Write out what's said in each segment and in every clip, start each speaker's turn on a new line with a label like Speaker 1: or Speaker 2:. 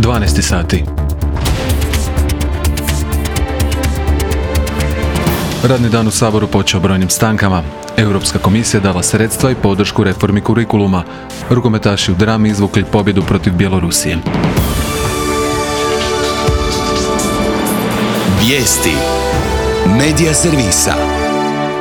Speaker 1: 12 sati. Radni dan u Saboru počeo brojnim stankama. Europska komisija dala sredstva i podršku reformi kurikuluma. Rukometaši u drami izvukli pobjedu protiv Bjelorusije.
Speaker 2: Vijesti Medija servisa.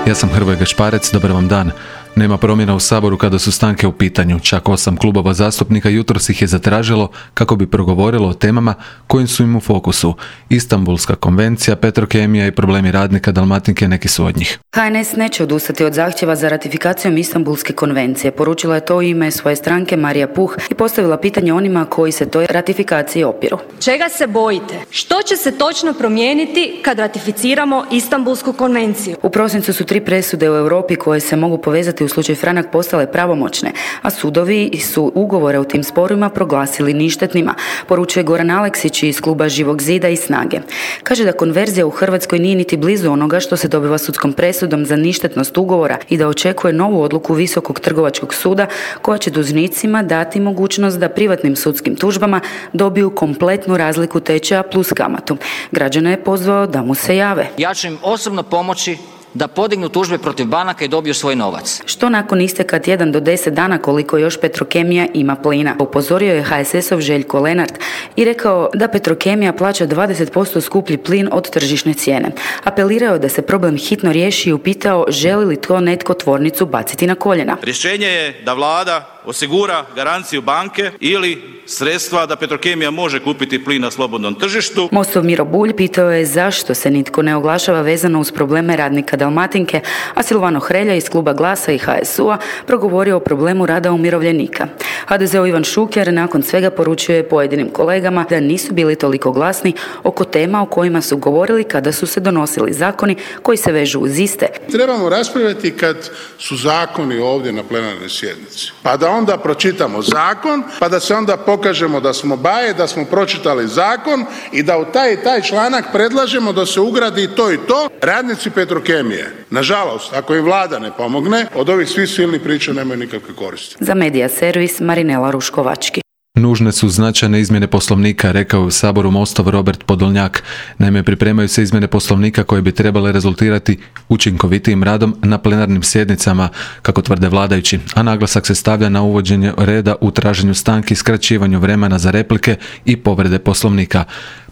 Speaker 1: Ja sam Hrvoje Gašparec, dobar vam dan. Nema promjena u Saboru kada su stanke u pitanju. Čak 8 klubova zastupnika jutros ih je zatražilo kako bi progovorilo o temama kojim su im u fokusu. Istanbulska konvencija, Petrokemija i problemi radnika Dalmatinke neki su od njih.
Speaker 3: HNS neće odustati od zahtjeva za ratifikacijom Istanbulske konvencije. Poručila je to u ime svoje stranke Marija Puh i postavila pitanje onima koji se toj ratifikaciji opiru.
Speaker 4: Čega se bojite? Što će se točno promijeniti kad ratificiramo Istanbulsku konvenciju?
Speaker 3: U prosincu su 3 presude u Europi koje se mogu povezati u slučaju Franak postale pravomoćne, a sudovi su ugovore u tim sporovima proglasili ništetnima, poručuje Goran Aleksić iz kluba Živog zida i Snage. Kaže da konverzija u Hrvatskoj nije niti blizu onoga što se dobiva sudskom presudom za ništetnost ugovora i da očekuje novu odluku Visokog trgovačkog suda koja će dužnicima dati mogućnost da privatnim sudskim tužbama dobiju kompletnu razliku tečaja plus kamatu. Građane je pozvao da mu se jave.
Speaker 5: Ja ću im osobno pomoći da podignu tužbe protiv banaka i dobiju svoj novac.
Speaker 3: Što nakon isteka tjedan do 10 dana koliko još Petrokemija ima plina? Upozorio je HSS-ov Željko Lenart i rekao da Petrokemija plaća 20% skuplji plin od tržišne cijene. Apelirao da se problem hitno riješi i upitao želi li to netko tvornicu baciti na koljena.
Speaker 6: Rješenje je da vlada osigura garanciju banke ili sredstva da Petrokemija može kupiti plin na slobodnom tržištu.
Speaker 3: Mostov Miro Bulj pitao je zašto se nitko ne oglašava vezano uz probleme radnika Dalmatinke, a Silvano Hrelja iz kluba Glasa i HSU-a progovorio o problemu rada umirovljenika. HDZ-ov Ivan Šuker nakon svega poručuje pojedinim kolegama da nisu bili toliko glasni oko tema o kojima su govorili kada su se donosili zakoni koji se vežu uz iste.
Speaker 7: Trebamo raspravljati kad su zakoni ovdje na plenarnoj sjednici. Pa da onda pročitamo zakon, pa da se onda pokažemo da smo baje, da smo pročitali zakon i da u taj i taj članak predlažemo da se ugradi to i to. Radnici Petrokemije, nažalost, ako im vlada ne pomogne, od ovih svih silnih priča nemaju nikakve koristi.
Speaker 3: Za Medija servis Marinela Ruškovački.
Speaker 1: Nužne su značajne izmjene Poslovnika, rekao je u Saboru Mostov Robert Podolnjak. Naime, pripremaju se izmjene Poslovnika koje bi trebale rezultirati učinkovitijim radom na plenarnim sjednicama, kako tvrde vladajući, a naglasak se stavlja na uvođenje reda u traženju stanki, skraćivanju vremena za replike i povrede Poslovnika.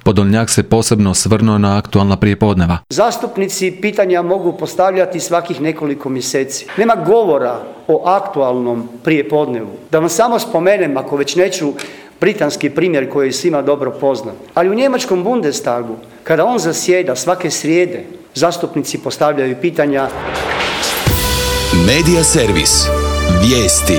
Speaker 1: Podolnjak se posebno osvrnuo na aktualna prijepodneva.
Speaker 8: Zastupnici pitanja mogu postavljati svakih nekoliko mjeseci. Nema govora o aktualnom prijepodnevu. Da vam samo spomenem, ako već neću, britanski primjer koji je svima dobro poznat. Ali u njemačkom Bundestagu, kada on zasjeda svake srijede, zastupnici postavljaju pitanja.
Speaker 2: Medija servis. Vijesti.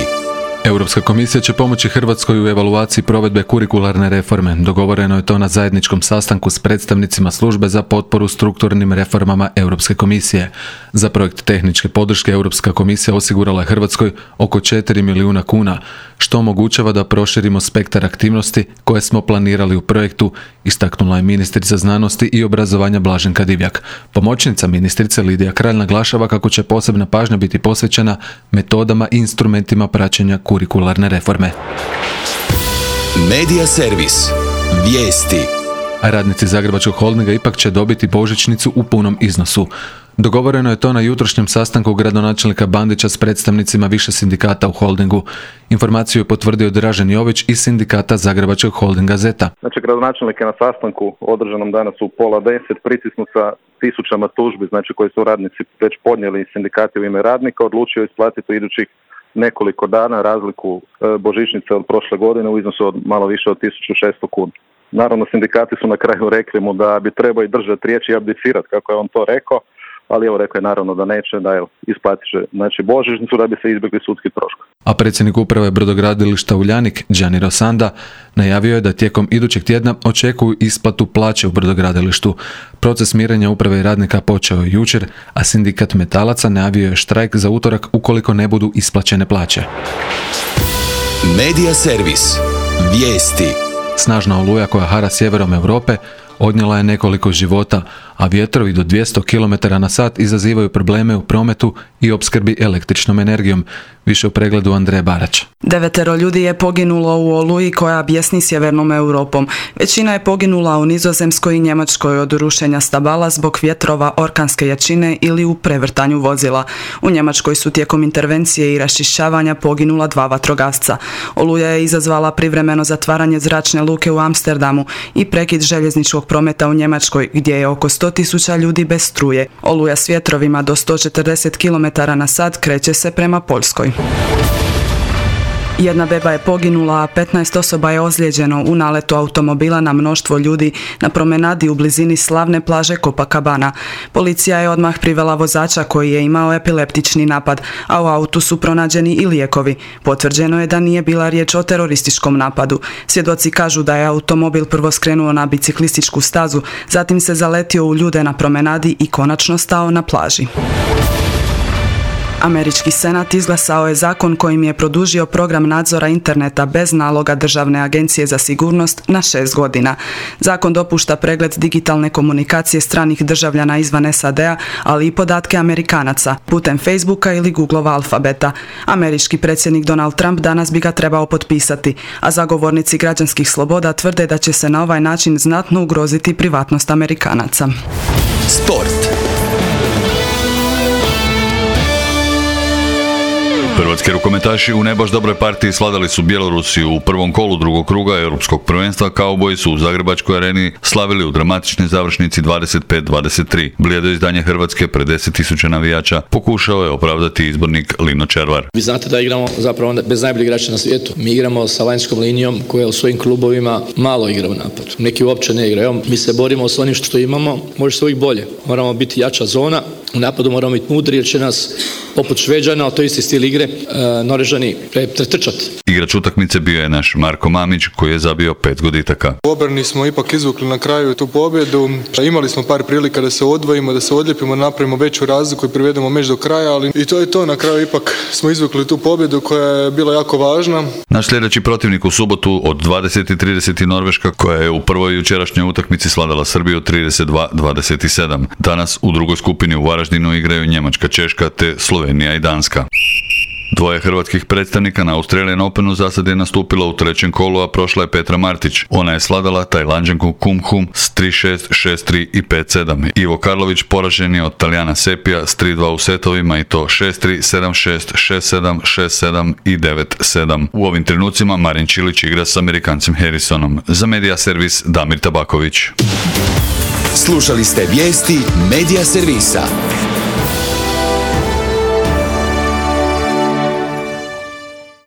Speaker 1: Europska komisija će pomoći Hrvatskoj u evaluaciji provedbe kurikularne reforme. Dogovoreno je to na zajedničkom sastanku s predstavnicima službe za potporu strukturnim reformama Europske komisije. Za projekt tehničke podrške Europska komisija osigurala je Hrvatskoj oko 4 milijuna kuna, što omogućava da proširimo spektar aktivnosti koje smo planirali u projektu, istaknula je ministrica znanosti i obrazovanja Blaženka Divjak. Pomoćnica ministrice Lidija Kralj naglašava kako će posebna pažnja biti posvećena metodama i instrumentima praćenja kurikularne reforme.
Speaker 2: Medija servis. Vijesti.
Speaker 1: A radnici Zagrebačkog holdinga ipak će dobiti božićnicu u punom iznosu. Dogovoreno je to na jutrošnjem sastanku gradonačelnika Bandića s predstavnicima više sindikata u holdingu. Informaciju je potvrdio Dražen Jović iz sindikata Zagrebačkog holdinga Zeta.
Speaker 9: Znači, gradonačelnik je na sastanku održanom danas u 9:30 pritisnut sa tisućama tužbi, znači koje su radnici već podnijeli sindikati u ime radnika, odlučio isplatiti u idućih nekoliko dana razliku božićnice od prošle godine u iznosu od malo više od 1600 kuna. Naravno, sindikati su na kraju rekli mu da bi trebao i držati riječ i abdicirati, kako je on to rekao, ali evo rekao je naravno da neće, da isplatit će božićnicu da bi se izbjegli sudski troškovi.
Speaker 1: A predsjednik uprave brodogradilišta Uljanik, Gianni Rosanda, najavio je da tijekom idućeg tjedna očekuju isplatu plaće u brodogradilištu. Proces mirenja uprave i radnika počeo je jučer, a sindikat metalaca najavio je štrajk za utorak ukoliko ne budu isplaćene plaće.
Speaker 2: Medija servis. Vijesti.
Speaker 1: Snažna oluja koja hara sjeverom Europe odnijela je nekoliko života, a vjetrovi do 200 km/h izazivaju probleme u prometu i opskrbi električnom energijom. Više u pregledu Andreje Barać.
Speaker 10: 9 ljudi je poginulo u oluji koja bjesni sjevernom Europom. Većina je poginula u Nizozemskoj i Njemačkoj od rušenja stabala zbog vjetrova orkanske jačine ili u prevrtanju vozila. U Njemačkoj su tijekom intervencije i raščišćavanja poginula 2 vatrogasca. Oluja je izazvala privremeno zatvaranje zračne luke u Amsterdamu i prekid željezničkog prometa u Njemačkoj, gdje je oko 100.000 ljudi bez struje. Oluja s vjetrovima do 140 km/h kreće se prema Poljskoj. 1 beba je poginula, a 15 osoba je ozlijeđeno u naletu automobila na mnoštvo ljudi na promenadi u blizini slavne plaže Copacabana. Policija je odmah privela vozača koji je imao epileptični napad, a u autu su pronađeni i lijekovi. Potvrđeno je da nije bila riječ o terorističkom napadu. Svjedoci kažu da je automobil prvo skrenuo na biciklističku stazu, zatim se zaletio u ljude na promenadi i konačno stao na plaži. Američki senat izglasao je zakon kojim je produžio program nadzora interneta bez naloga Državne agencije za sigurnost na 6 godina. Zakon dopušta pregled digitalne komunikacije stranih državljana izvan SAD-a, ali i podatke Amerikanaca, putem Facebooka ili Googlova alfabeta. Američki predsjednik Donald Trump danas bi ga trebao potpisati, a zagovornici građanskih sloboda tvrde da će se na ovaj način znatno ugroziti privatnost Amerikanaca.
Speaker 2: Sport.
Speaker 11: Hrvatski rukometaši u ne baš dobroj partiji sladali su Bjelorusiju u prvom kolu drugog kruga Europskog prvenstva. Kauboji su u Zagrebačkoj areni slavili u dramatičnoj završnici 25-23. Blijedo izdanje Hrvatske pred 10.000 navijača pokušao je opravdati izbornik Lino Červar.
Speaker 12: Vi znate da igramo zapravo bez najboljih igrača na svijetu. Mi igramo sa vanjskom linijom koja u svojim klubovima malo igra u napadu. Neki uopće ne igraju. Mi se borimo s onim što imamo, može se uvijek bolje. Moramo biti jača zona, u napadu moramo biti mudri jer će nas poput Šveđana, to je isti stil igre, Norvežani pretrčati.
Speaker 11: Igrač utakmice bio je naš Marko Mamić koji je zabio 5 goditaka.
Speaker 13: U obrani smo ipak izvukli na kraju tu pobjedu. Imali smo par prilika da se odvojimo, da se odljepimo, napravimo veću razliku i privedemo meč do kraja, ali i to je to. Na kraju ipak smo izvukli tu pobjedu koja je bila jako važna.
Speaker 11: Naš sljedeći protivnik u subotu od 20:30 Norveška koja je u prvoj jučerašnjoj utakmici sladala Srbiju 32-27. Danas u drugoj skupini u Varaždinu igraju Njemačka, Češka te Slovenija i Danska. 2 hrvatskih predstavnika na Australian Openu zasad je nastupila u trećem kolu, a prošla je Petra Martić. Ona je sladala Tajlanđanku Kum Hum s 3-6, 6-3 i 5-7. Ivo Karlović poražen je od Talijana Sepija s 3-2 u setovima i to 6-3, 7-6, 6-7, 6-7 i 9-7. U ovim trenucima Marin Čilić igra s Amerikancem Harrisonom. Za Medija servis Damir Tabaković.
Speaker 2: Slušali ste vijesti Medija servisa.